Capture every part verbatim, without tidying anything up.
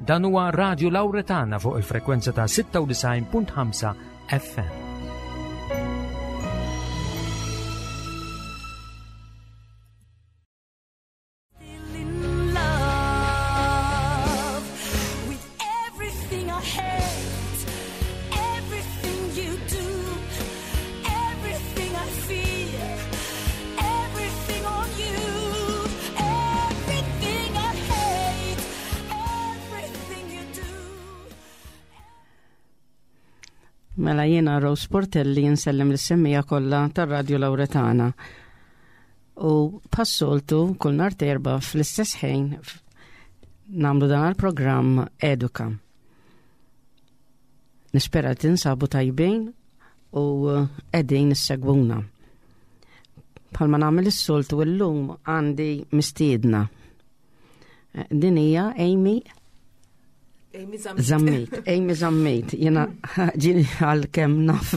Dan huwa Radio Lauretana fuq il-frekwenza ta' sitta u disgħin punt ħamsa F M. Still in love with everything I hate, everything you do, everything I fear, everything on you, everything I hate, everything you do. Mela, jiena Rose Portelli nsellem lis-semmiegħa kollha tar-Radio Lauretana. U bħas-soltu kull nhar t'Erbgħa fl-istess ħin f- nagħmlu dan il-programm Eduka. Nispera tinsabu tajbin u qegħdin issegwuna. Bħalma nagħmel is-soltu, illum għandi mistiedna. Eh, Din hija Amy Amy Zammit. Zammit, Amy Zammit, jiena ġieli għal kemm naf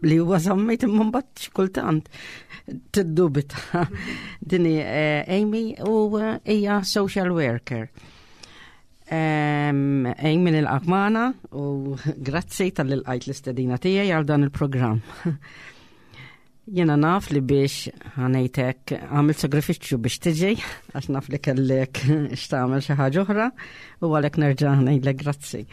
li huwa Zammit, imma mbagħad xi kultant tiddubita. Din hi eh, Amy u eh, hija social worker. Em, Amy, nilqgħek magħna u grazzi talli lqajt l-istedina tiegħi għal dan il-programm. Jena naf li biex ħa ngħidlek għamilt sagrifiċċju biex tiġi, għax naf li kellek x'tagħmel xi ħaġa oħra, u għalhekk nerġa' ngħidlek grazzi.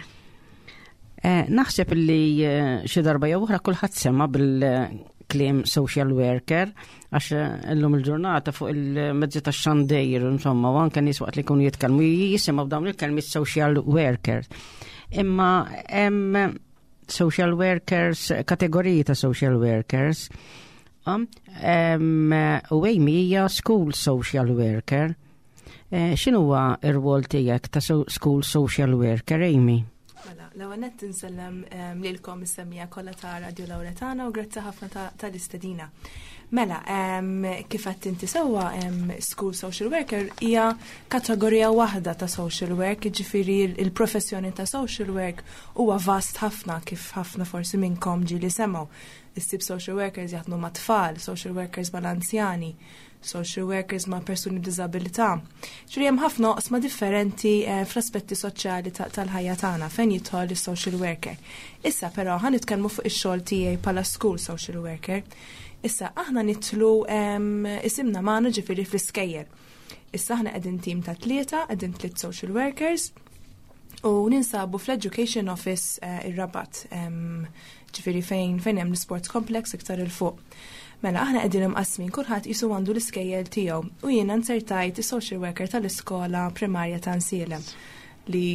Eh, naħseb li eh, xi darba jew oħra kulħadd sema bil-kliem social worker, għax eh, illum il-ġurnata fuq il-mezzi tax-xandir, insomma, u anke nies waqt li jkunu jitkellmu jisimgħu dawn il-kelmiet social worker. Imma hemm social workers, kategoriji ta' social workers. Um, em, u Amy hija school social worker. Eh, X'inhuwa r-rwol tiegħek ta' so school social worker, Amy? Mela, l-ewwel nett insellem em, lilkom is-semmiegħa kollha ta' Radio Lauretana u grazzi ħafna ta- tal-istedina. Mela, em, kif qed inti sewwa, em, school social worker hija kategorija waħda ta' social work, jiġifieri il-professjoni ta' social work huwa vast ħafna, kif ħafna forsi minnkom ġieli semgħu. Issib social workers jaħdmu ma' tfal, social workers mal-anzjani, social workers ma' persuni b'diżabilità. Ġifieri hemm ħafna oqsma differenti eh, fl-aspetti soċjali ta- tal-ħajja tagħna fejn jidħol is-social worker. Issa però ħa nitkellmu fuq ix-xogħol tiegħi bħala school social worker. Issa aħna nidħlu em, isimna magħna, ġifieri fl-iskejjel. Issa aħna qegħdin tim ta' tlieta, qegħdin tliet social workers u ninsabu fl-Education Office eh, ir-Rabat, em, ġifieri fejn fejn hemm l-Sports Complex iktar 'il fuq. Mela, aħna qegħdin imqasmin, kulħadd qisu għandu l-iskejjel tiegħu u jiena nsertajt is-social worker tal-iskola primarja ta' Għajnsielem, li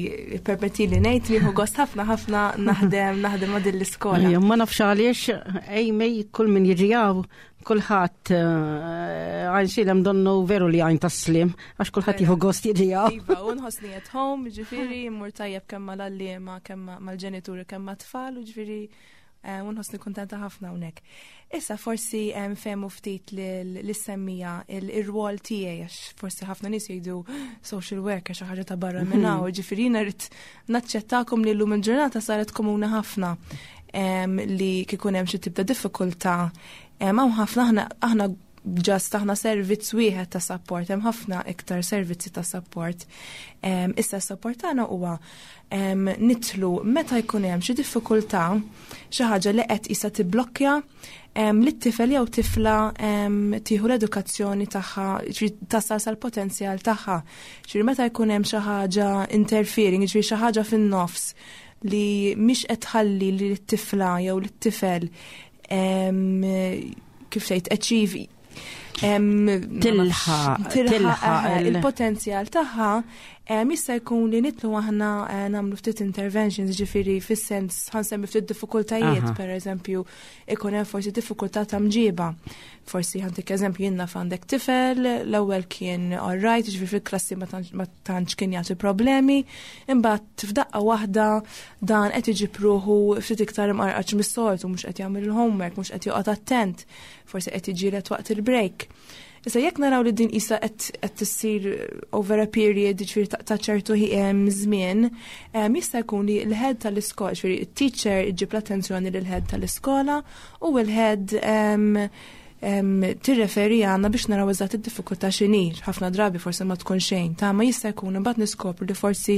permetti li ngħid li gost ħafna ħafna naħdem naħdem ma' din l-iskola. Ejja, ma nafx għaliex, Amy, kull min jiġi hawn, kulħadd eh, Għajnsielem donnu veru li għajn tas-sliem, għax kulħadd jieħu gost jiġi hawn. Iva, u nħossni at home, ġifieri, mmur tajjeb kemm mal-għalliema, kemm mal-ġenituri, kemm mat-tfal, u ġifieri, eh, u nħossni kontenta ħafna hawnhekk. Issa forsi em, fehmu ftit lis-semmiegħa il-rwol tiegħi, għax forsi ħafna nies jgħidu social worker xi ħaġa ta' barra minn hawn, ġifieri jiena rrid naċċettakom li llum il-ġurnata saret komuni ħafna em, li kikun hemm xi tip ta' diffikultà. Em, Hawn ħafna, aħna aħna just aħna servizz wieħed ta' support, hemm ħafna iktar servizzi ta' support. Em, Issa s-support tagħna huwa em, nidħlu meta jkun hemm xi diffikultà, xi ħaġa li qed issa tiblokkja em, li t-tifel jew tifla em, tieħu l-edukazzjoni tagħha, ġifieri tasal sal-potenzjal tagħha. Ġifieri meta jkun hemm xi ħaġa interfering, ġifieri xi ħaġa fin-nofs li mhix qed tħalli li t-tifla jew lit-tifel em, kif tgħid, achieve em, Tilħaq, tilħaq tilħaq eh, il- il-potenzjal tagħha, em, jista' jkun li nidħlu aħna eh, nagħmlu ftit interventions, ġifieri fis-sens ħa nsemmi ftit diffikultajiet, Aha. per eżempju, ikun hemm forsi diffikultà ta' mġiba. Forsi ħa ntik eżempju, jiena għandek tifel, l-ewwel kien alright, ġifieri fil-klassi ma tantx- ma tantx kien jagħti problemi, imbagħad f'daqqa waħda dan qed iġib ruħu ftit iktar imqarqaċ mis-soltu, mhux qed jagħmel il-homework, mhux qed joqgħod attent, forsi qed jiġġieled waqt il-break. Issa jekk naraw li din isa qed qed tissir over a period, ġifieri ta' ta' ċertu ħi- em, żmien, em, jista' jkun li l-head tal-iskola, ġifieri it-teacher iġib l-attenzjoni lil head tal-iskola u l-head em, Tirreferi għandna biex naraw eżatt id-diffikultà x'inhi. Ħafna drabi forsi ma tkun xejn, ta' ma jista' jkun imbagħad niskopru li forsi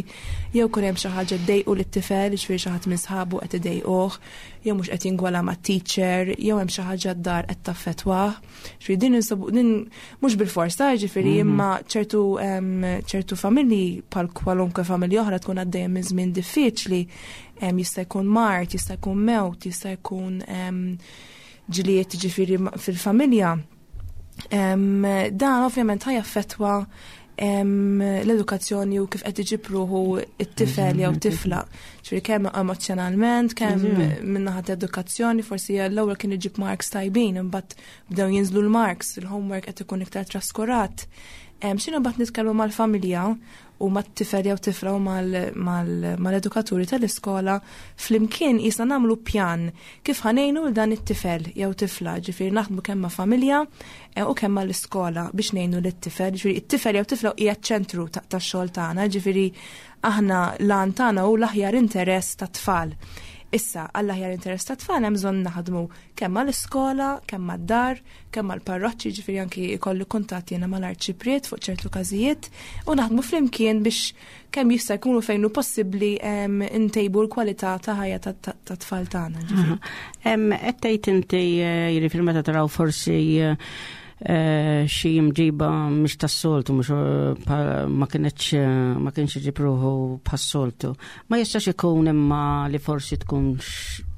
jew kun hemm xi ħaġa ddejqu lit-tifel, jiġifieri xi ħadd minn sħabu qed idejquh, jew mhux qed jingwala mat-teacher, jew hemm xi ħaġa d-dar qed taffettwah. Ġifieri din insibu din mhux bil-fors ta', ġifieri, mhm. imma ċertu ċertu familji, bħal kwalunkwe familja oħra, tkun għaddejja minn żmien diffiċli, jista' jkun mard, jista' jkun mewt, jista' jkun ġlied, ġifieri, fil-familja. Dan ovvjament ħa jaffettwa l-edukazzjoni u kif qed iġib ruħu it-tifel jew tifla. Ġifieri kemm emozjonalment, kemm min-naħa edukazzjoni, forsi l-ewwel kien iġib marks tajbin, imbagħad bdew jinżlu l-marks, il-homework qed ikun iktar traskurat. X'inhu mbagħad nitkellmu mal-familja u mat-tifel jew tifla u mal-edukaturi tal-iskola, flimkien jisna nagħmlu pjan kif ħa ngħinu dan it-tifel jew tifla, ġifieri naħdmu kemm ma' familja eh, u kemm mal-iskola biex ngħinu lit-tifel, ġifieri it-tifel jew tifla hija ċentru tax-xogħol tagħna, ġifieri aħna l-għan tagħna hu l-aħjar interess tat-tfal. Issa, għall-aħjar interess ta' tfal hemm bżonn naħdmu kemm mal-iskola, kemm mad-dar, kemm mal-parroċċi, ġifieri anki jkollu kuntatt jiena mal-arċipriet fuq ċertu każijiet, u naħdmu flimkien biex kemm jista' jkunu fejn hu possibbli ntejbu l-kwalità ta' ħajja ta' tfal tagħna. Qed tgħid inti, eh, jiġifieri meta taraw forsi eh, eh, xi mġiba mhix tas-soltu, mhux eh, ma kienx ma kienx iġib ruħu bħas-soltu. Ma jistax ikun imma li forsi tkun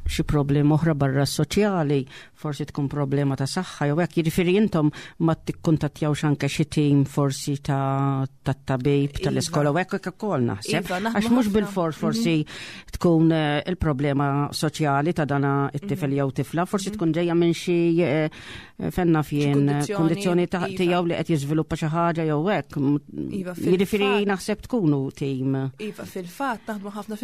xi problema oħra barra soċjali, forsi tkun problema ta' saħħa jew hekk, jiġifieri intom ma tikkuntattjawx anke xi tim forsi ta' tabib tal-iskola u hekk ukoll naħseb? Iva, għax mhux bil-fors forsi mhm. tkun eh, il-problema soċjali ta' dana it-tifel mhm. jew tifla, forsi tkun ġejja minn xi eh, fenna fien kondizzjoni ta' iva. tiegħu li qed jiżviluppa xi ħaġa jew hekk. Iva, jiġifieri naħseb tkunu tim. Iva, fil-fatt naħdmu ħafna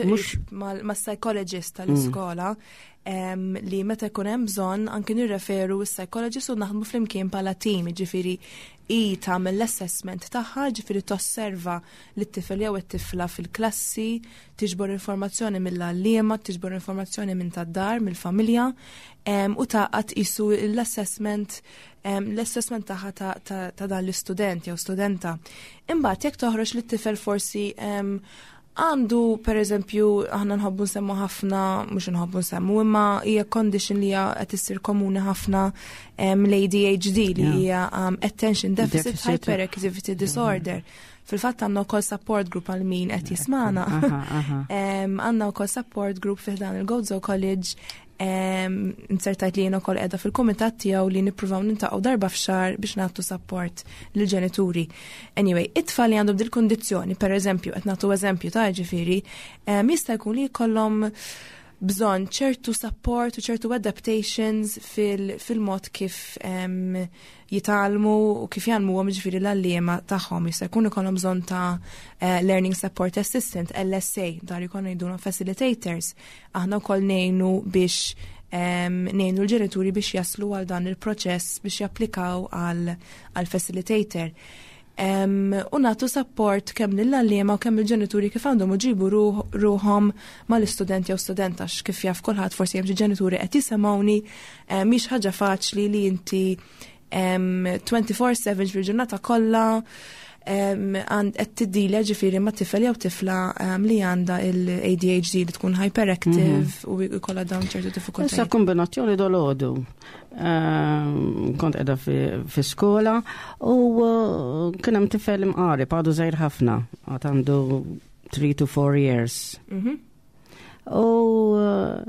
mas-psychologist tal-iskola li meta jkun hemm bżonn anke nirreferu s-psychologist u naħdmu flimkien bħala team, ġifieri i tagħmel l-assessment tagħha, ġifieri tosserva lit-tifel jew it-tifla fil-klassi, tiġbor informazzjoni mill-għalliema, tiġbor informazzjoni minn tad-dar, mill-familja, u taqgħod qisu l-assessment l-assessment tagħha ta' dan l-istudent jew studenta. Imbagħad jekk toħroġ lit-tifel forsi għandu, per eżempju, aħna nħobbu nsemmu ħafna, mhux nħobbu nsemmu, imma hija condition li hija qed issir komuni ħafna, l-A D H D, li hija um, Attention Deficit, Deficit. Hyperactivity Disorder. Fil-fatt għandna wkoll support group għal min qed jismana. Għandna wkoll support group fi dan il-Gozo College. Insertajt li jiena wkoll qiegħda fil-kumitat tiegħu li nippruvaw niltaqgħu darba f'xahar biex nagħtu support lill-ġenituri. Anyway, it-tfal li għandhom dil-kondizzjoni, per eżempju, qed nagħtu eżempju ta' ġifieri, jista' jkun li jkollhom bżonn ċertu support u ċertu adaptations fil-mod kif um, jitgħallmu u kif jgħallmuhom, ġifieri l-għalliema tagħhom. Jista' jkun ikollhom bżonn ta' uh, Learning Support Assistant, L S A, dar jkun ngħidulhom facilitators. Aħna wkoll ngħinu biex um, ngħinu l-ġenituri biex jaslu għal dan il-proċess biex japplikaw għal, għal facilitator. Um, u nagħtu support kemm lill-għalliema u kemm il-ġenituri kif għandhom iġibu ruħhom mal-istudent jew student, għax kif jaf kulħadd, forsi hemm xi ġenituri qed jisimgħuni, mhix ħaġa faċli li inti um, twenty-four seven, fil-ġurnata kollha, għand qed tiddilja, ġifieri, ma' tifel jew tifla li għandha il-A D H D, li tkun hyperactive mm -hmm. u jkollha dawn ċertu diffikultajiet. Issa kombinazzjoni dolodu. Kont qiegħda fi skola u uh, kien hemm tifel imqareb, għadu żgħir ħafna, għad għandu three to four years. Mm -hmm. U uh,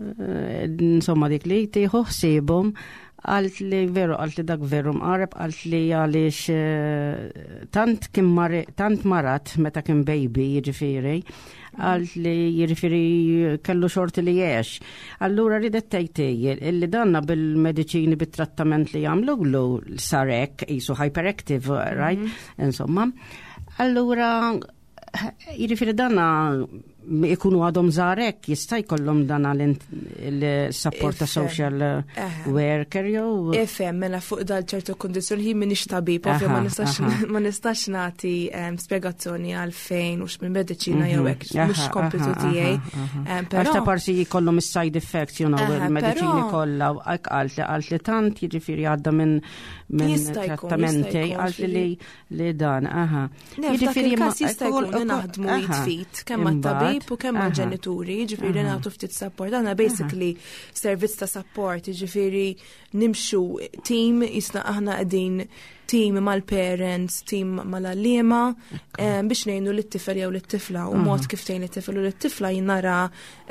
insomma dik li tieħu ħsiebhom għalt li veru, għalt li dak veru mqareb, għalt li għalix eh, tant kien tant marat meta kien baby, jiġifieri, għalt li jiġifieri kellu xorti li jgħix. Allura ridet tgħid illi danna bil-mediċini, bit-trattament li jagħmlu sarek, jisu hyperactive, right? Mm -hmm. Insomma. Allura, jiġifieri danna Ikunu għadhom żgħar jista' jkollhom dan il-support ta' social worker jew. Ifhem, mela fuq dal ċertu kondizzjoni hi m'iniex tabib, ovvja ma nistax ma nistax nagħti spjegazzjoni għalfejn u x'minn mediċina jew hekk, mhux kompitu tiegħi. Għax ta' parsi jkollhom is-side effects, you know, il-mediċini kollha u hekk qalt li qalt li tant jiġifieri għadda minn minn trattamenti qalt li li dan, aha. Jiġifieri jista' jkun li naħdmu id f'id kemm mat-tabib u kemm mal-ġenituri, jiġifieri nagħtu ftit support. Aħna basically servizz ta' support, jiġifieri nimxu team, jisna aħna qegħdin team mal-parents, team mal-għalliema, biex ngħinu lit-tifel jew lit-tifla u mod kif tgħin lit-tifel u lit-tifla jinnara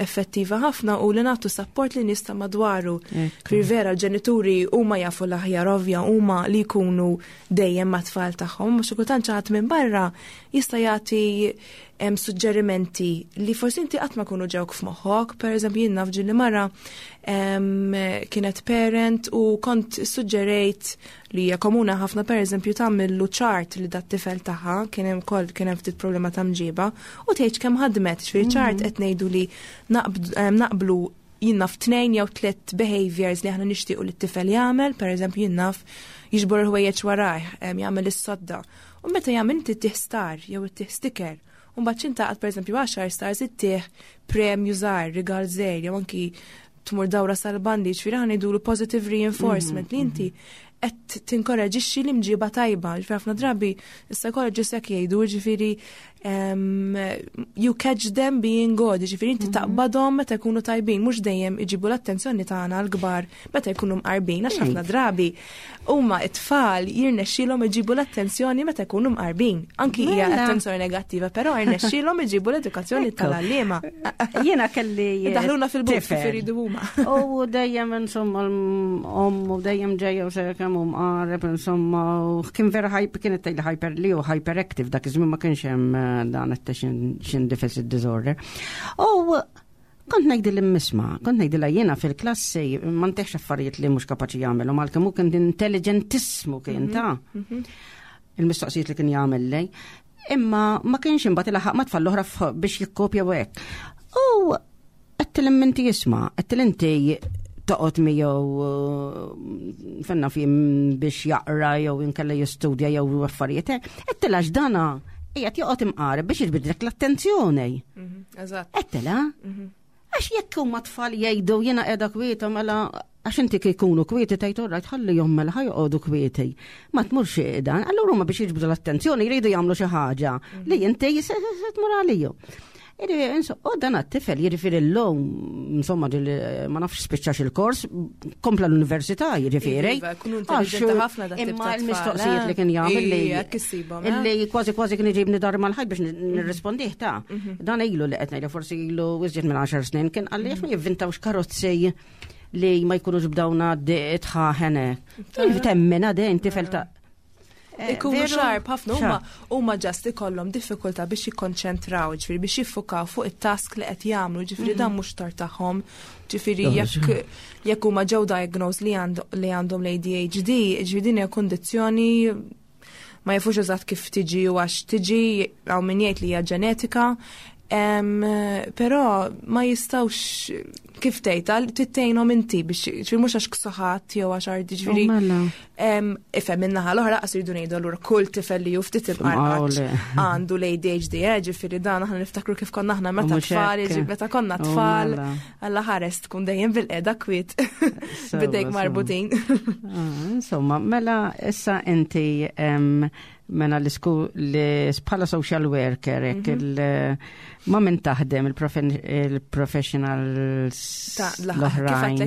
effettiva ħafna u li nagħtu support li nista' madwaru. Fir vera l-ġenituri huma jafu l-aħjar ovvja huma li jkunu dejjem mat-tfal tagħhom, mhux kultant xi ħadd minn barra jista' jagħti suġġerimenti li forsi inti qatt ma kunu ġewk f'moħħok, per eżempju jien naf ġieli mara kienet parent u kont suġġerejt li hija komuna ħafna per eżempju tagħmillu chart li dat tifel tagħha kien hemm ukoll kien hemm ftit problema ta' mġiba u tgħid kemm ħadmet, ġifieri chart qed ngħidu li naqblu jien naf tnejn jew tliet behaviors li aħna nixtiequ li t-tifel jagħmel, per eżempju jien naf jiġbor il-ħwejjeġ warajh, jagħmel is-sodda. U meta jagħmel inti ttih star jew ittih sticker. U mbagħad x'intaqgħad pereżempju għaxar stars ittih premju żgħar, rigal żgħir, jew anki tmur dawra sal-bandi, ġifieri aħna ngħidulu positive reinforcement li inti qed tinkoraġixxi l-imġiba tajba. Ġifieri ħafna drabi is-psychologists hekk jgħidu, ġifieri you catch them being good, ġifieri inti taqbadhom meta jkunu tajbin, mhux dejjem iġibu l-attenzjoni tagħna l-kbar meta jkunu mqarbin, għax ħafna drabi huma t-tfal jirnexxielhom iġibu l-attenzjoni meta jkunu mqarbin. Anki hija attenzjoni negattiva, però jirnexxielhom iġibu l-edukazzjoni tal-għalliema. Jiena kelli Daħluna fil-but kif iridu huma. U dejjem insomma l-omm u dejjem ġejja u sejra kemm hu mqareb insomma u kien vera hyper kienet tgħidli hyper li hu hyperactive dak iż-żmien ma kienx hemm dan attention deficit disorder. U kont ngħidil immisma, kont ngħidilha jiena fil-klassi ma ntihx affarijiet li mhux kapaċi jagħmel u għalkemm hu kien intelligentissmu kien ta' il-mistoqsijiet li kien jagħmel lej. Imma ma kienx imbagħad ilaħaq ma tfal l-oħra biex jikkopja u hekk. U għedtilha inti isma', għedtilha inti toqgħod miegħu fenna fi biex jaqra jew inkella jistudja jew affarijiet. Għedtilha x'dana qiegħed joqgħod imqareb biex jiġbidlek l-attenzjoni. Eżatt. Għedtilha? Għax jekk huma tfal jgħidu jiena qiegħda kwieta mela għax inti kikunu kwieti tgħid orrajt ħallihom mela ħa joqogħdu kwieti. Ma tmurx dan, allura huma biex jiġbdu l-attenzjoni jridu jagħmlu xi ħaġa li inti se tmur għalihom. U dan għat-tifel jiġifieri l-lum, insomma, ma nafx spiċċax il-kors, kompla l-università jiġifieri. Iva, kunu intelligenti ħafna dat tip Imma ta' tfal, l-mistoqsijiet eh? li kien jagħmel li Ija, kissibhom, eh? illi kważi kważi kien iġibni dar mal-ħajt biex nirrispondih ta' Dan ilu li qed ngħidu forsi ilu iżjed minn għaxar snin kien qalli għax ma jivvintawx karozzi li ma jkunux b'dawna tħaħene. Temmena dejn tifel ta' Eh, Ikunu sharp ħafna huma huma just ikollhom diffikultà biex jikkonċentraw, ġifieri biex jiffukaw fuq it-task li qed jagħmlu, ġifieri dan mhux tort tagħhom. Ġifieri jekk jekk huma ġew diagnosed li li għandhom l-A D H D, ġifieri din hija kundizzjoni ma jafux eżatt kif tiġi u għax tiġi, hawn min jgħid li hija ġenetika, però ma jistawx kif tgħid tittejnhom inti biex ġifieri mhux għax ksuħat jew għax ardi ġifieri. Ifhem min-naħa l-oħra qas jridu ngħidu allura kull tifel li hu ftit imqarqaċ għandu l-A D H D, eh, ġifieri dan aħna niftakru kif konna aħna meta tfal, meta konna tfal, Alla ħares tkun dejjem bil-qiegħda kwiet bidejk marbutin. Insomma, mela issa inti mela l-isku li bħala social worker jekk il ma min taħdem il-professionals l-oħrajn.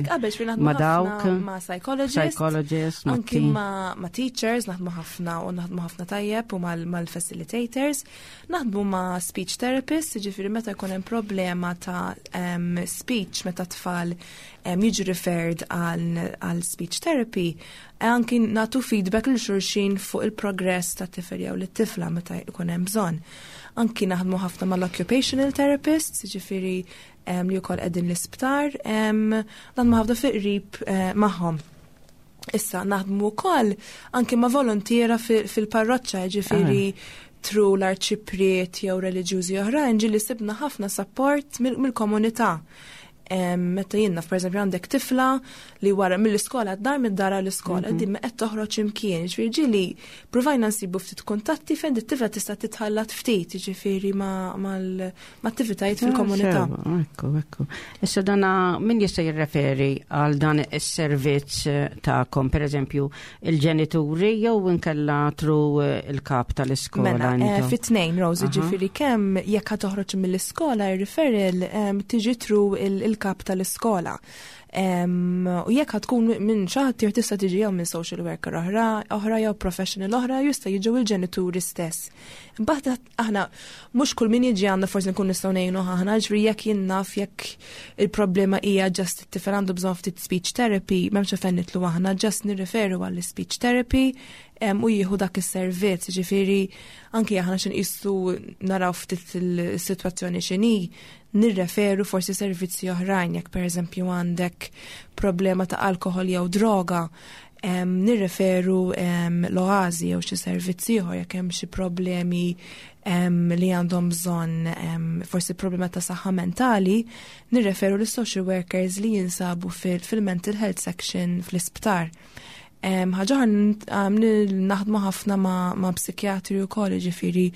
Ma dawk ma psychologists, psychologists, anki ma, ma teachers, naħdmu ħafna u naħdmu ħafna tajjeb u mal-facilitators, naħdmu ma speech therapists, ġifieri meta jkun hemm problema ta' um, speech meta tfal um, jiġu referred għal speech therapy, anki nagħtu feedback lil xulxin fuq il-progress ta' tifel jew lit-tifla meta jkun hemm bżonn. Anki naħdmu ħafna mal-occupational therapists, ġifieri um, li wkoll qegħdin l-isptar, um, naħdmu ħafna fi qrib uh, magħhom. Issa naħdmu wkoll anki ma' volontiera fil-parroċċa, ġifieri through l-arċipriet jew reliġjużi oħrajn ġieli sibna ħafna support mill-komunità. Meta jiena, per eżempju, għandek tifla li wara mill-iskola d-dar, mid-dar l-iskola, mhm. din ma qed toħroġ imkien, ġifieri ġieli provajna nsibu ftit kuntatti fejn it-tifla tista' titħallat ftit, ġifieri ma' attivitajiet ah, fil-komunità. Ekku, ekku. Issa dana min jista' jirreferi għal dan is-servizz eh, tagħkom, per eżempju, il-ġenituri jew inkella through eh, il-kap tal-iskola? Mela, eh, fit-tnejn, Rosie, ġifieri kemm jekk toħroġ mill-iskola, ir-referral tiġi through il-kap tal-iskola. U jekk tkun minn xi ħadd tista' tiġi jew minn social worker oħra, oħra jew professional oħra, jista' jiġu il-ġenituri stess. Imbagħad aħna mhux kull min jiġi għandna forsi nkun nistgħu ngħinu aħna, ġifieri jekk jien naf jekk il-problema hija just it-tifel għandu bżonn ftit speech therapy, m'hemmx fejn nidħlu aħna, just nirreferu għall speech therapy u jieħu dak is-servizz, ġifieri anki aħna x'inqisu naraw ftit il-sitwazzjoni x'inhi, nirreferu forsi servizzi oħrajn, jekk pereżempju għandek problema ta' alkohol jew droga, um, nirreferu um, l-Oażi jew xi servizzi ieħor. Jekk hemm xi problemi um, li għandhom bżonn um, forsi problema ta' saħħa mentali, nirreferu l social workers li jinsabu fil-mental health section fl-isptar. Ħaġa naħdmu ħafna ma', ma psikjatri u koll, ġifieri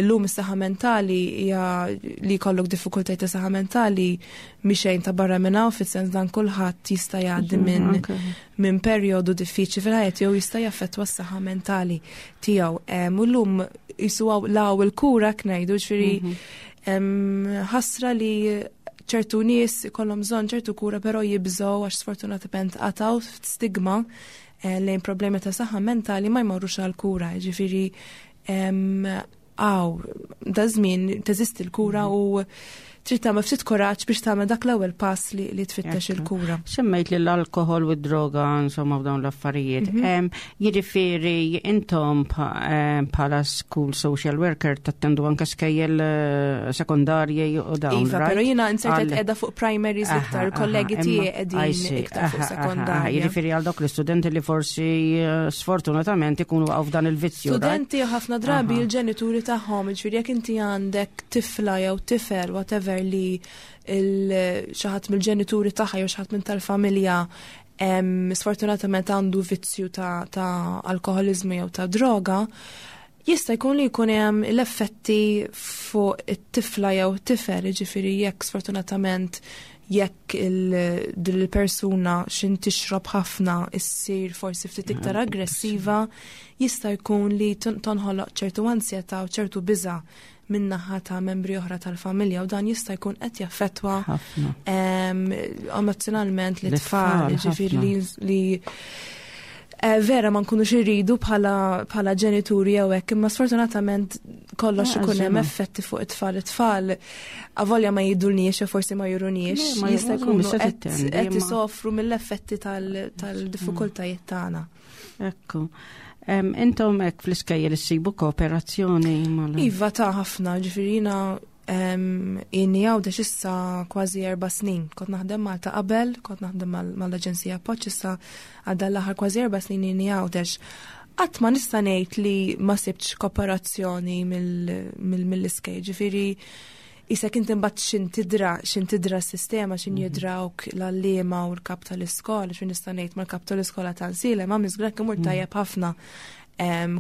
illum is-saħħa mentali hija li jkollok diffikultajiet ta' saħħa mentali mhix ta' barra minn hawn, fis-sens dan kulħadd jista' jgħaddi minn minn perjodu diffiċli fil-ħajja jew jista' jaffettwa s-saħħa mentali tiegħu. U llum jisuwaw law il-kura ngħidu, ġifieri mhm. ħasra li ċertu nies ikollhom bżonn ċertu kura, però jibżgħu għax sfortunatament għad hawn stigma eh, lejn problemi ta' saħħa mentali, ma jmorrux għal kura, ġifieri għaw, da żmien teżisti l-kura u trid tagħmel ftit kuraġġ biex tagħmel dak l-ewwel pass li, li tfittex il-kura. Semmejt li l-alkohol u d-droga, insomma, f'dawn l-affarijiet. Mhm. Jiġifieri intom bħala school social worker tattendu anke skejjel eh, sekondarji u dawn? Iva, però jiena insertet qiegħda fuq primaries iktar, kollegi tiegħi qegħdin iktar fuq sekondarji. Jiġifieri għal dawk l-istudenti li forsi eh, sfortunatament ikunu waqgħu f'dan il-vizzju. Studenti, ħafna drabi il-ġenituri tagħhom, ġifieri jekk inti għandek tifla jew tifel, whatever, li xi ħadd mill-ġenituri tagħha jew xi ħadd minn tal-familja sfortunatament għandu vizzju ta', ta alkoholizmu jew ta' droga, jista' jkun li jkun hemm l-effetti fuq it-tifla jew tifel, ġifieri jekk sfortunatament jekk il-persuna xin tixrob ħafna issir forsi ftit iktar aggressiva, jista' jkun li tonħoloq ċertu ansjetà u ċertu biża' min-naħa ta' membri oħra tal-familja u dan jista' jkun qed jaffettwa emozjonalment l-tfal, ġifieri li eh, vera ma nkunux irridu bħala ġenituri jew hekk, imma sfortunatament kollox ikun hemm effetti fuq it-tfal. It-tfal avolja ma jgħidulniex jew forsi ma juruniex, jista' jkunu qed isofru mill-effetti tal-diffikultajiet tagħna. Ekku. Intom hekk fl-iskejjel issibu kooperazzjoni mal Iva, ta' ħafna, ġifieri jiena inni Għawdex issa kważi erba' snin. Kont naħdem Malta qabel, kont naħdem mal-Aġenzija Appoġġ, issa għadda l-aħħar kważi erba' snin inni Għawdex. Qatt ma nista' ngħid li ma sibtx kooperazzjoni mill-iskejjel, ġifieri Issa kint imbagħad xin tidra, xin tidra s-sistema, xin mhm. jidrawk l-għalliema u l-kap tal-iskola, xin nista' ngħid mal-kap tal-iskola ta' Għajnsielem, ma miżgrak imur mhm. tajjeb ħafna.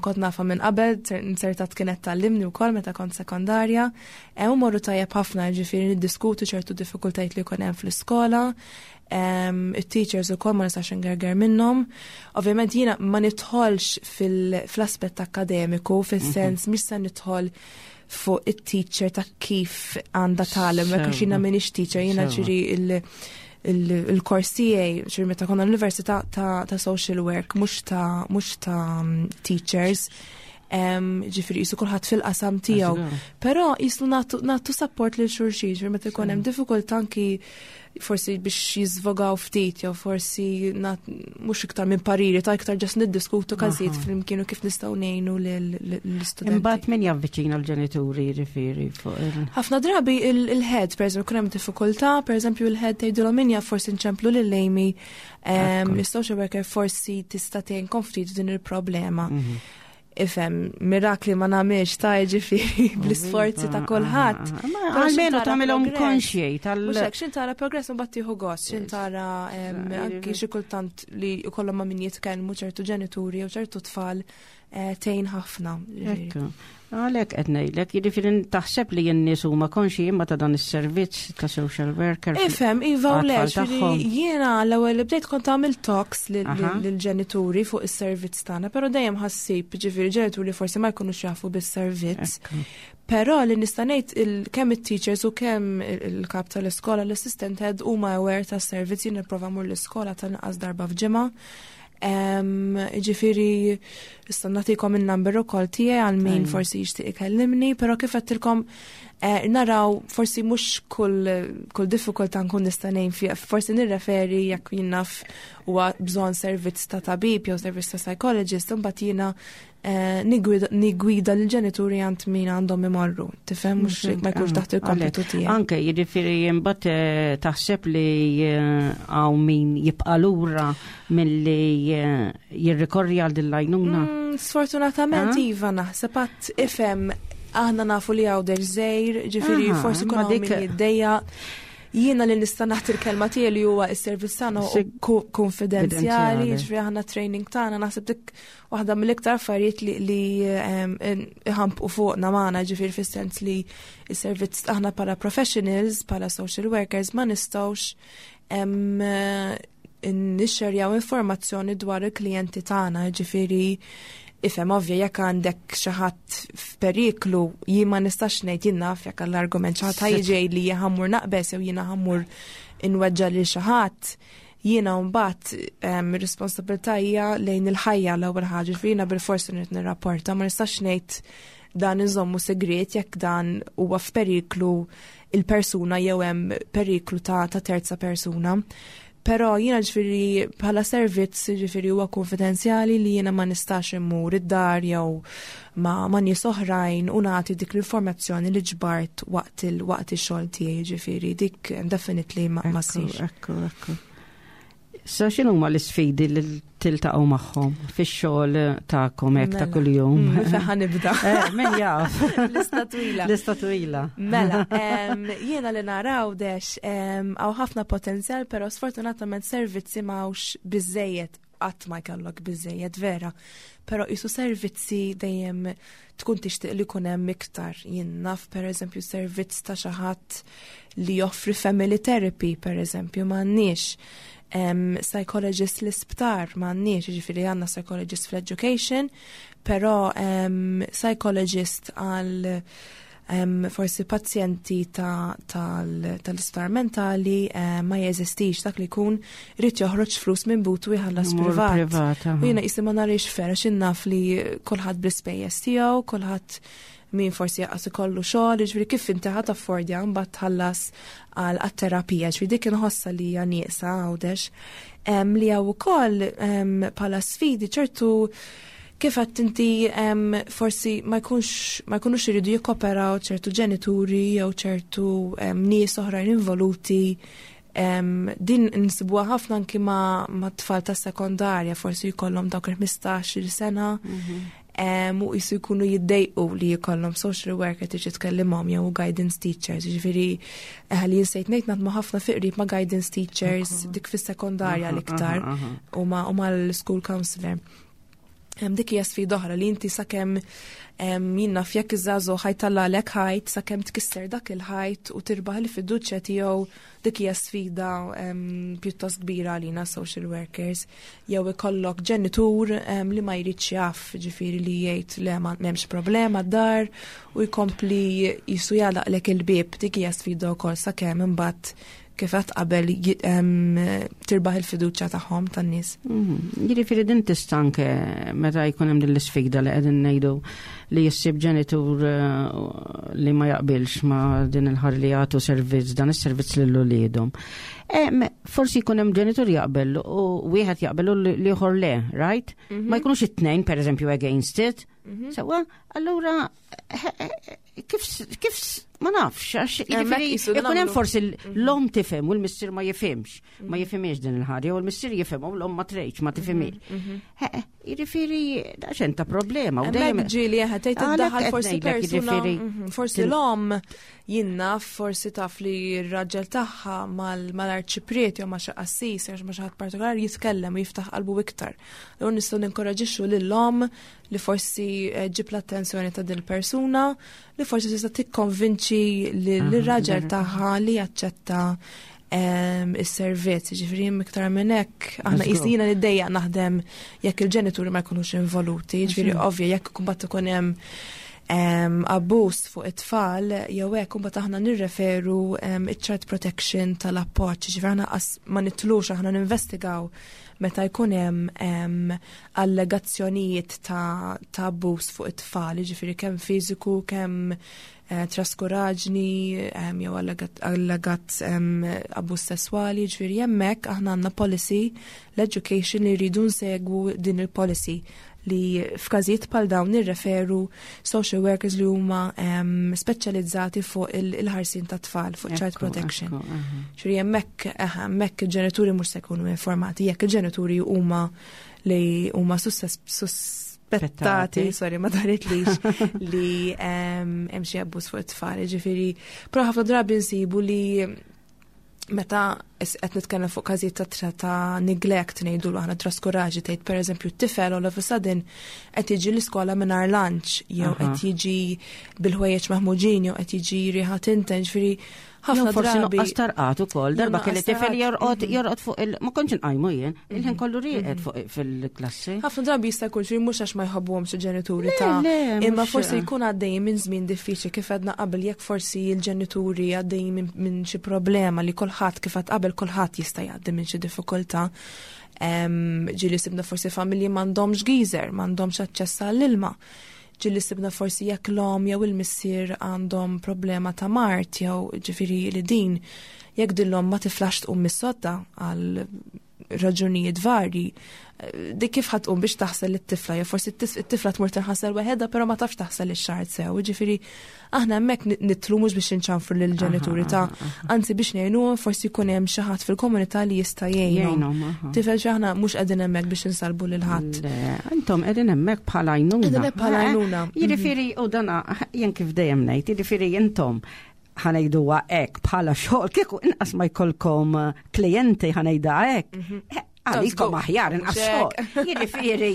Kont nafa minn qabel, inzertat kienet tgħallimni wkoll meta kont sekondarja. U morru tajjeb ħafna, ġifieri niddiskutu ċertu diffikultajiet li jkun hemm fl-iskola. Il-teachers ukoll ma nistax ngerger minnhom. Ovvjament jiena ma nidħolx fil-aspett akkademiku, fis-sens mhm. mhix se nidħol fuq it-teacher ta' kif għandha tgħallem, għax jiena m'iniex teacher, jiena ġifieri il-kors tiegħi, ġifieri meta konna l-università ta', ta social work, mhux ta' mhux ta' mm, teachers. Ġifieri jisu kulħadd fil-qasam tiegħu. Però jisu nagħtu support lil xulxin, ġifieri meta jkun hemm diffikultà anki forsi biex jizvogaw ftit, jew forsi mhux iktar minn pariri, ta' iktar just niddiskutu każijiet flimkien u kif nistgħu ngħinu l-istudenti. Imbagħad min javviċina l-ġenituri, jiġifieri fuq il- Ħafna drabi il-head, per eżempju, kun hemm diffikultà, per eżempju il-head tgħidulhom minja forsi nċemplu lil Amy, is-social worker, forsi tista' tgħinkom ftit din il-problema. Mhm. Ifhem, mirakli ma nagħmilx ta', ġifieri bl-isforzi ta' kulħadd. Ma Però xin almenu tara tagħmilhom progress. konxji tal- Mhux hekk, xin tara progress u mbagħad tieħu gost, xin tara em, anki xi kultant li jkollhom ma' min jitkellmu ċertu ġenituri jew ċertu tfal eh, tgħin ħafna, ġifieri. Ekku. Għalhekk qed ngħidlek, jiġifieri taħseb li n-nies huma konxji imma ta' dan is-servizz ta' social worker. Ifhem, iva u le, Għat-tfal ġifieri tagħhom. jiena l-ewwel li bdejt kont għamil talks lil- Aha. lill-ġenituri fuq is-servizz tagħna, però dejjem ħassib, ġifieri ġenituri forsi ma jkunux jafu bis-servizz. Ekku. Però li nista' ngħid il- kemm it-teachers u kemm il- il-kap tal-iskola, l-assistant head, huma aware tas-servizz. Jien nipprova mmur l-iskola tal-inqas darba f'ġimgħa. Em, Ġifieri issa nagħtikom il-number ukoll tiegħi għal min Tajjeb. forsi jixtieq ikellimni, però kif għedtilkom eh, naraw forsi mhux kull kull diffikultà nkun nista' ngħin fiha, forsi nirreferi jekk jien naf huwa bżonn servizz ta' tabib jew servizz ta' psychologist, imbagħad jiena eh, nigwida nigwida lill-ġenituri għand min għandhom imorru. Tifhem, mhux ma jkunx taħt il-kompitu tiegħi. Anke, jiġifieri imbagħad eh, taħseb li eh, hawn min jibqa' lura milli eh, jirrikorri għal din l-għajnuna. Mm, Sfortunatament Ah? iva, naħseb għat ifhem aħna nafu li Għawdex żgħir, ġifieri Aha, forsi imma kun hawn dik- min jiddejjaq. Jiena li nista' nagħti l-kelma tiegħi li huwa s-servizz tagħna Sig- hu konfidenzjali, Konfidenzjali. ġifieri aħna training tagħna naħseb dik waħda mill-iktar affarijiet li li em, iħampqu fuqna magħna, ġifieri fis-sens li s-servizz aħna bħala professionals, bħala social workers ma nistgħux em, nixxerjaw informazzjoni dwar il-klijenti tagħna, ġifieri ifhem, ovvja, jekk għandek xi ħadd f'periklu, jien ma nistax ngħid, jien naf jekk għall-argument xi ħadd ħa jiġi li jien ħa mmur naqbeż jew jiena ħa mmur inweġġa' lil xi ħadd, jiena mbagħad em, ir-responsabilità hija lejn il-ħajja l-ewwel ħaġa, ġifieri jiena bil-forsi nrid nirrapporta, ma nistax ngħid dan iżommu segret jekk dan huwa f'periklu il-persuna jew hemm periklu ta', ta terza persuna. Però jiena ġifieri bħala servizz ġifieri huwa konfidenzjali li jiena ma nistax immur id-dar jew ma, ma nies oħrajn u nagħti dik l-informazzjoni li ġbart waqt il waqt ix-xogħol tiegħi, ġifieri dik definitely ma, ma Ekku, ssirx. ekku, ekku. Sa x'inhuma l-isfidi li tiltaqgħu magħhom fix-xogħol tagħkom hekk ta' Mela. kuljum? Mm, Fejn ħa nibda? Eh, min jaf? Lista twila. Lista twila. Mela, em, jiena li naraw Għawdex, hawn ħafna potenzjal, pero sfortunatament servizzi m'hawnx biżżejjed, qatt ma jkollok biżżejjed vera. Pero jisu servizzi dejjem tkun tixtieq li jkun hemm iktar. Jien naf per eżempju servizz ta' xi ħadd li joffri family therapy, per eżempju, m'għandniex. Um, psychologist l-isptar m'għandniex, ġifieri għandna psychologist fl-education, pero um, psychologist għal um, forsi pazjenti ta' tal- tal-isptar mentali eh, ma jeżistix, dak li jkun irid joħroġ flus minn butu jħallas Mur privat. Privat. Aha. U jiena jisi ma narix vera xi naf li kulħadd bl-ispejjeż tiegħu, kulħadd min forsi jaqas ikollu xogħol, ġifieri kif inti ħa taffordja mbagħad tħallas għal għat-terapija, ġifieri dik inħossa li hija nieqsa Għawdex. Em, li hawn ukoll em, bħala sfidi ċertu kif għedt inti em, forsi ma jkunx ma jkunux iridu jikkoperaw ċertu ġenituri jew ċertu em, nies oħrajn involuti. Em, din nsibuha ħafna anki ma, ma tfal ta' sekondarja, forsi jkollhom dawk il-ħmistax-il sena em, u jisu jkunu jiddejqu li jkollhom social worker tiġi tkellimhom jew guidance teachers, ġifieri eh, li jinsejt ngħid naħdmu ħafna fi qrib ma' guidance teachers dik fis-sekondarja Aha, l-iktar aha, aha. u ma' u mal-school counselor. Em, dik hija sfida oħra li inti sakemm em, jien naf jekk iż-żagħżugħ ħa jtellagħlek ħajt, sakemm tkisser dak il-ħajt u tirbaħ il-fiduċja tiegħu, dik hija sfida em, pjuttost kbira għalina social workers, jew ikollok ġenitur em, li ma jridx jaf, ġifieri li jgħid le ma m'hemmx problema d-dar u jkompli jisu jagħlaqlek il-bieb, dik hija sfida wkoll sakemm imbagħad kif għedt qabel ji- em, tirbaħ il-fiduċja tagħhom tan-nies. Mhm. Jiġifieri din tista' anke meta jkun hemm din l-isfida li qegħdin ngħidu li jissib ġenitur eh, li ma jaqbilx ma din il-ħar li jagħtu servizz, dan is-servizz lil uliedhom. Eh, Forsi jkun hemm ġenitur jaqbel u wieħed jaqbel u l-ieħor le, right? Ma jkunux it-tnejn pereżempju against it. Sewwa, allura eh, eh, kif kif ma nafx, għax jiġifieri jisu jkun hemm nagħmlu. forsi l-om tifhem u l-missier ma jifhimx, ma jifhimx din il-ħaġa, u l-missier jifhem u l-om ma tgħidx ma tifhimx. Eh, Jiġifieri daqsxejn ta' problema. U dejjem Hemmhekk ġieli eħe tgħid Għalhekk iddaħħal qed forsi ngħidlek, persuna, jiġifieri, mhm, forsi tin- l-om jien naf, forsi taf li r-raġel tagħha mal- mal-arċipriet jew ma' xi qassis jew ma' xi ħadd partikolari jitkellem u jiftaħ qalbu iktar. Allura nistgħu ninkoraġixxu lill-om li forsi eh, ġib l-attenzjoni ta' din il-persuna li forsi tista' tikkonvinċi lir-raġel tagħha li jaċċetta em, is-servizz, ġifieri iktar minn hekk aħna Let's go. qisina niddejjaq naħdem jekk il-ġenituri ma jkunux involuti, ġifieri ovvja jekk imbagħad ikun hemm em, abbuż fuq it-tfal, jew hekk imbagħad aħna nirreferu em, iċ-child protection tal-appoġġ, ġifieri aħna qas ma nitlux aħna ninvestigaw meta jkun hemm em, allegazzjonijiet ta' ta' abbuż fuq it-tfal, ġifieri kemm fiżiku, kemm eh, traskuraġni, em, jew allegat, allegat em, abbuż sesswali, ġifieri hemmhekk aħna għandna policy l-education li rridu nsegwu din il-policy li f'każijiet bħal dawn nirreferu social workers li huma em, speċjalizzati fuq il- il-ħarsin ta' tfal, fuq child Ekku, protection. ekku, aha. Ġifieri hemmhekk eh, hemmhekk il-ġenituri mhux se jkunu informati, jekk il-ġenituri huma li huma susses- suspettati, Spettati. sorry, ma daritlix li em, hemm xi abbuż fuq it-tfal, ġifieri, però ħafna drabi nsibu li meta is- qed nitkellem fuq każijiet ta' tra- ta' neglect ngħidu aħna traskuraġi tgħid pereżempju t-tifel all of a sudden qed jiġi l-iskola mingħajr lunch jew Aha. qed jiġi bil-ħwejjeġ maħmuġin jew qed jiġi riħa tinten, ġifieri ħafna Jew forsi drabi. nuqqas tarqat ukoll, darba Jew kelli nuqqas tifel tarqat, jorqod jorqod fuq il ma kontx inqajmu jien, il-ħin kollu rieqed fuq fil-klassi. Ħafna drabi jista' jkun xi mhux għax ma jħobbuhomx il-ġenituri Le, ta' le, imma mhux- forsi jkun għaddej minn żmien diffiċli kif għedna qabel jekk forsi l-ġenituri għaddej minn minn xi problema li kulħadd kif għad qabel kulħadd jista' jgħaddi minn xi diffikultà. Em, Ġieli sibna forsi familji m'għandhomx geyser, m'għandhomx aċċess għall-ilma. Ġieli sibna forsi jekk l-om jew il-missier għandhom problema ta' mard jew ġifieri li din jekk din l-om ma tiflax tqum mis-sodda għal raġunijiet varji, eh, dik kif ħa tqum biex taħsel it-tifla, jew forsi it-tifla tmur tinħasel waħedha, però ma tafx taħsel ix-xagħar sew. Ġifieri aħna hemmhekk nidħlu mhux biex inċanfru lill-ġenituri ta' anzi biex ngħinuhom forsi jkun hemm xi ħadd fil-komunità li jista' jgħinhom. Jgħinhom, aha. Tifel xi aħna mhux qegħdin hemmhekk biex insalbu lil ħadd. Le, Intom qegħdin hemmhekk bħala għajnuna. Qegħdin hekk bħala għajnuna. Jiġifieri u dana jien kif dejjem ngħid, jiġifieri intom ħa ngħiduha hekk bħala xogħol kieku inqas ma jkollkom eh, klijenti ħa ngħidha hekk. Eh, Għalikom Żgur. aħjar inqas Mhux hekk. xogħol. Jiġifieri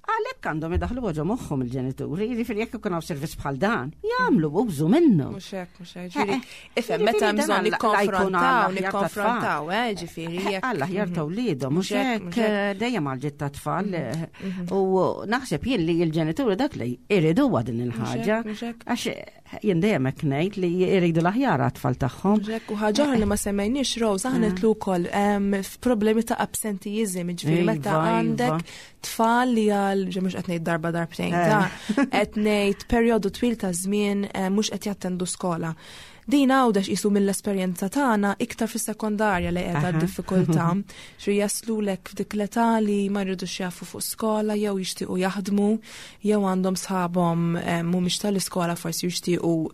għalhekk għandhom idaħlu ġo moħħhom il-ġenituri, jiġifieri jekk ikun hawn servizz bħal dan, jagħmlu użu minnu. Mhux hekk, mhux hekk. Ġifieri, Eh, eh. ifhem meta hemm Jiġifieri bżonn dan għall- nikkonfrontaw, għall-aħjar ta' nikkonfrontaw, eh, ġifieri jekk. Alla ħjar ta' wliedhom, mhux Mhux hekk, hekk mhux hekk. eh, dejjem għal ta' tfal. eh, U naħseb jien li l-ġenituri dak li iridu din il-ħaġa. mhux hekk. Għax eh, jien dejjem hekk ngħid li jridu l-aħjar għat-tfal tagħhom. Mhux hekk, u ħaġa oħra li ma semmejniex Rose, aħna nidħlu wkoll em, f'problemi ta' absenteeism, ġifieri Iva, meta iva. għandek tfal li għal ġe mhux qed ngħid darba darbtejn, Eh. ta' qed ngħid perjodu twil ta' żmien eh, mhux qed jattendu skola. Din għawdex qisu mill-esperjenza tagħna iktar fis-sekondarja li qiegħda Aha. d-diffikultà xi jaslulek f'dik l-età li ma jridux jafu fuq skola jew jixtiequ jaħdmu jew għandhom sħabhom eh, mhumiex tal-iskola forsi jixtiequ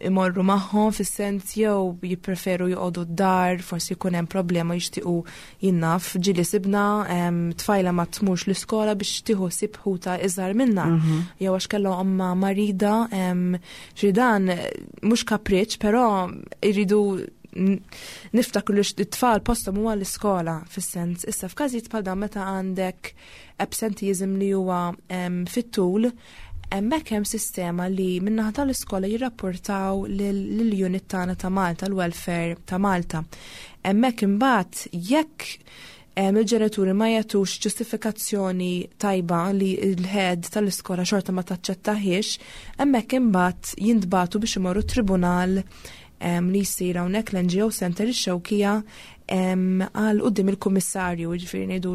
imorru magħhom fis-sens jew jippreferu joqogħdu d-dar, forsi jkun hemm problema jixtiequ jien naf ġieli sibna em, tfajla ma tmurx l-iskola biex tieħu ħsieb ħuta iżgħar minna. Jew għax kellha omma marida, em, xi dan eh, mhux kapriċ, però jridu n- niftakru li t-tfal postom huwa l-iskola fis-sens. Issa f'każijiet bħal dan meta għandek absenteeism li huwa em, fit-tul, hemmhekk hemm sistema li min-naħa tal-iskola jirrapportaw lill-unit tagħna ta' Malta, l-welfare ta' Malta. Hemmhekk imbagħad jekk em, il-ġenituri ma jagħtux ġustifikazzjoni tajba li l-head tal-iskola xorta ma taċċettahiex, hemmhekk imbagħad jintbagħtu biex imorru tribunal em, li jsir hawnhekk l-N G O Center ix-Xewkija em, għal quddiem il-kummissarju, ġifieri ngħidu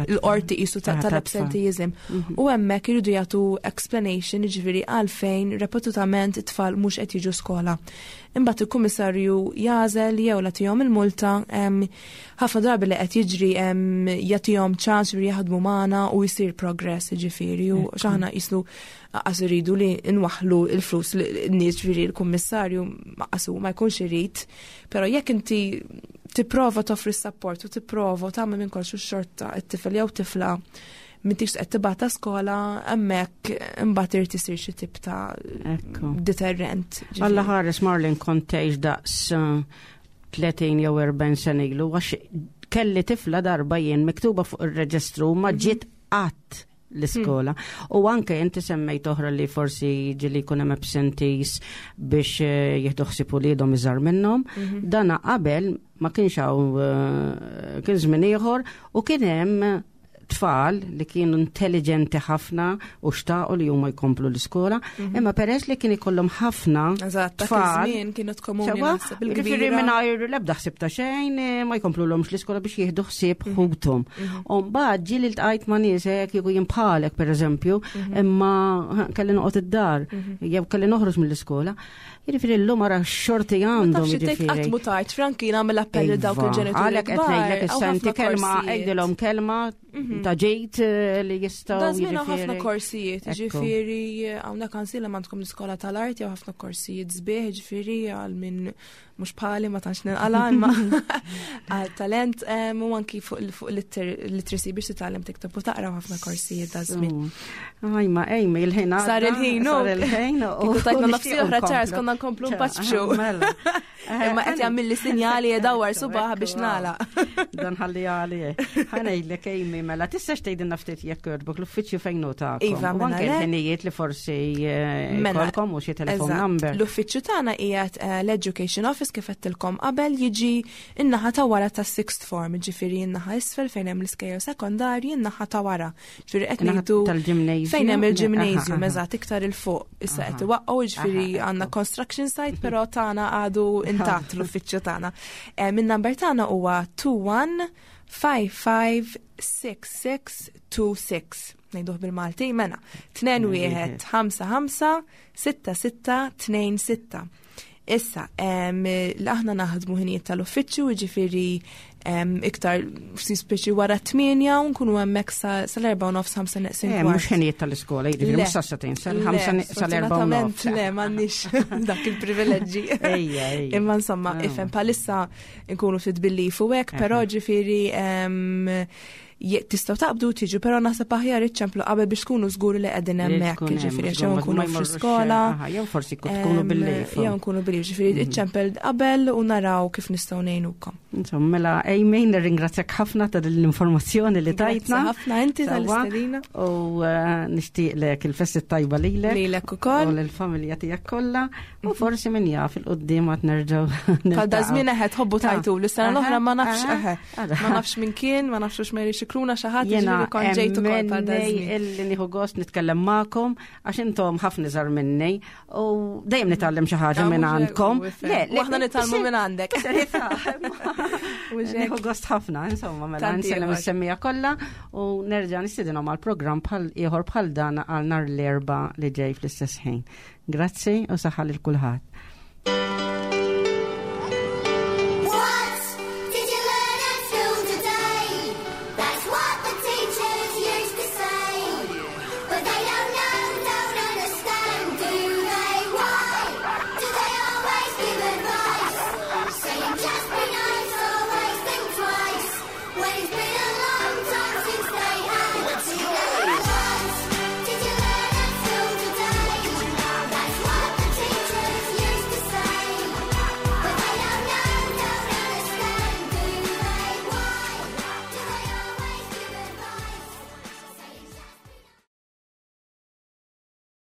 l-qorti qisu ta' Ta' tal-absenteeism. U hemmhekk iridu jagħtu explanation, ġifieri għalfejn repetutament it-tfal mhux qed jiġu skola. Imbagħad il-kummissarju jagħżel jew jagħtihom il-multa, em, ħafna drabi li qed jiġri em, jagħtihom ċans ġifieri jaħdmu magħna u jsir progress ġifieri u x'aħna jisnu qas iridu li nwaħlu il-flus li n-nies ġifieri l-kummissarju qasu ma jkunx irid, però jekk inti tipprova toffri support u tipprova u tagħmel minn kollox u xorta it-tifel jew tifla m'intix qed tibgħatha skola, hemmhekk imbagħad irid isir xi tip ta' Ekku. deterrent. Ġifieri. Alla ħares, Marlin, kont tgħix daqs eh, tletin jew erbgħin sena ilu, għax kelli tifla darba jien miktuba fuq ir-reġistru, ma ġiet qatt l-iskola. U anke inti semmejt oħra li forsi ġieli jkun hemm absentees biex eh, jieħdu ħsieb uliedhom iżgħar minnhom. Dana qabel ma kienx hawn, eh, kien żmien ieħor u kien hemm tfal li kienu intelligenti ħafna u xtaqu li huma jkomplu l-iskola, imma peress li kien ikollhom ħafna Eżatt, dak tfal, iż-żmien kienu komuni Sewa, naħseb jiġifieri il-kbira. mingħajr l-ebda ħsieb ta' xejn, eh, ma jkomplulhomx l-iskola biex jieħdu ħsieb ħuthom. U mbagħad ġieli ltqajt ma' nies hekk kieku jien bħalek, pereżempju, imma kelli noqgħod id-dar, jew kelli noħroġ mill-iskola. Jiġifieri llum ara xorti Ma għandhom, tafx tgħid qatt jiġifieri. mu tard, Franki, nagħmel appell lil dawk Iva, il-ġenituri. għalhekk qed ngħidlek issa inti kelma, għidilhom kelma ta' ġejt eh, li jistgħu Da żmien hawn ħafna jiġifieri. korsijiet, Ekku. ġifieri hawnhekk għansilha għandkom l-iskola tal-arti, hawn ħafna korsijiet sbieħ, ġifieri għal min mhux bħali ma tantx ninqala, imma għal talent em, u anki fuq il- fuq literacy biex titgħallem tikteb u taqra, ħafna korsijiet da żmien. Ajma, ejma, il-ħin għadda. Sar il-ħin, u. Sar il-ħin. u- Kieku tajtna u nofsi oħra, nixtiequ Charles, nkomplu. konna nkomplu npaċċu. Mela. Imma qed jagħmel li sinjali jedawar subaħ biex nagħlaq. Dan ħalli għali. Ħa ngħidlek, Amy, mela, tistax tgħidilna ftit, jekk jogħġbok, l-uffiċċju fejn hu tagħkom? Iva, U mela anke le. l-ħinijiet li forsi eh, Mela, jkollkom u xi telefon Eżatt. number. L-uffiċċju tagħna qiegħed eh, l-Education Office, kif għedtilkom qabel, jiġi in-naħa ta' wara ta' sixth form, ġifieri in-naħa isfel fejn hemm l-iskejjel sekondarji, in-naħa ta' wara. Ġifieri qed In-naħa ngħidu tal-gymnasium? fejn hemm Aha, il-gymnasium, aha. eżatt, iktar 'il fuq. Issa qed Aha. iwaqqgħu, ġifieri Aha, għandna ekku. construction site, però tagħna għadu intatt l-uffiċċju tagħna. Eh, Min-number tagħna huwa tnejn wieħed ħamsa ħamsa sitta sitta tnejn sitta. Ngħiduh bil-Malti, mela. tnejn wieħed ħamsa ħamsa sitta sitta tnejn sitta. Issa, em, l aħna naħdmu ħinijiet tal-uffiċċju, ġifieri em, iktar si speċi wara tmienja u nkunu hemmhekk sa- sal-erbgħa u nofs, ħamsa neqsin Eh, kwart. mhux ħinijiet tal-iskola, jiġifieri Le. mhux sas-sagħtejn, sal-ħamsa Le, sal-erbgħa u nofs. sfortunatament le, m'għandniex dak il-privileġġi. Ejja, ejja. Imma insomma, Ah. ifhem, bħalissa nkunu ftit bil-leave u hekk, però Aha. ġifieri em, je- tistgħu taqbdu tiġu, però naħseb aħjar iċċemplu qabel biex tkunu żguri li qegħdin Li hemmhekk, tkun hemm, ġifieri mhux jew ma- ma nkunu f'xi jmorrux, skola. aha, jew forsi kut tkunu em, bil-leave. Jew nkunu bil-leave, ġifieri iċċempel qabel u naraw kif nistgħu ngħinukom. Insomma, mela, Amy, nirringrazzjak ħafna ta' din l-informazzjoni li Grazzi tajtna. ħafna inti Sewwa. tal-istedina. U eh, nixtieqlek il-festi tajba lilek. Lilek ukoll. U l-familja tiegħek kollha. U forsi min jaf, 'il quddiem għad nerġgħu Bħal da niltaqgħu. żmien eħe tħobbu Ta. tajtu l-sena l-oħra, ma nafx Aha, eħe. aha. Ma nafx min kien, ma nafx hux Mary Xikruna xi ħadd, Jena ġifieri kont ġejt ukoll bħal da emmenni żmien. illi nieħu gost nitkellem magħkom għax intom ħafna iżgħar minni u dejjem nitgħallem xi ħaġa Ah, minn mhux hekk, għandkom. u ifhem. U aħna nitgħallmu minn għandek. Mhux hekk. Nieħu gost ħafna, insomma, mela Tant nsellem ieħor. is-semmiegħa kollha u nerġa' nistedinhom għal programm bħal ieħor bħal dan għal nhar l-Erbgħa li ġej fl-istess ħin. Grazzi u saħħa lil kulħadd.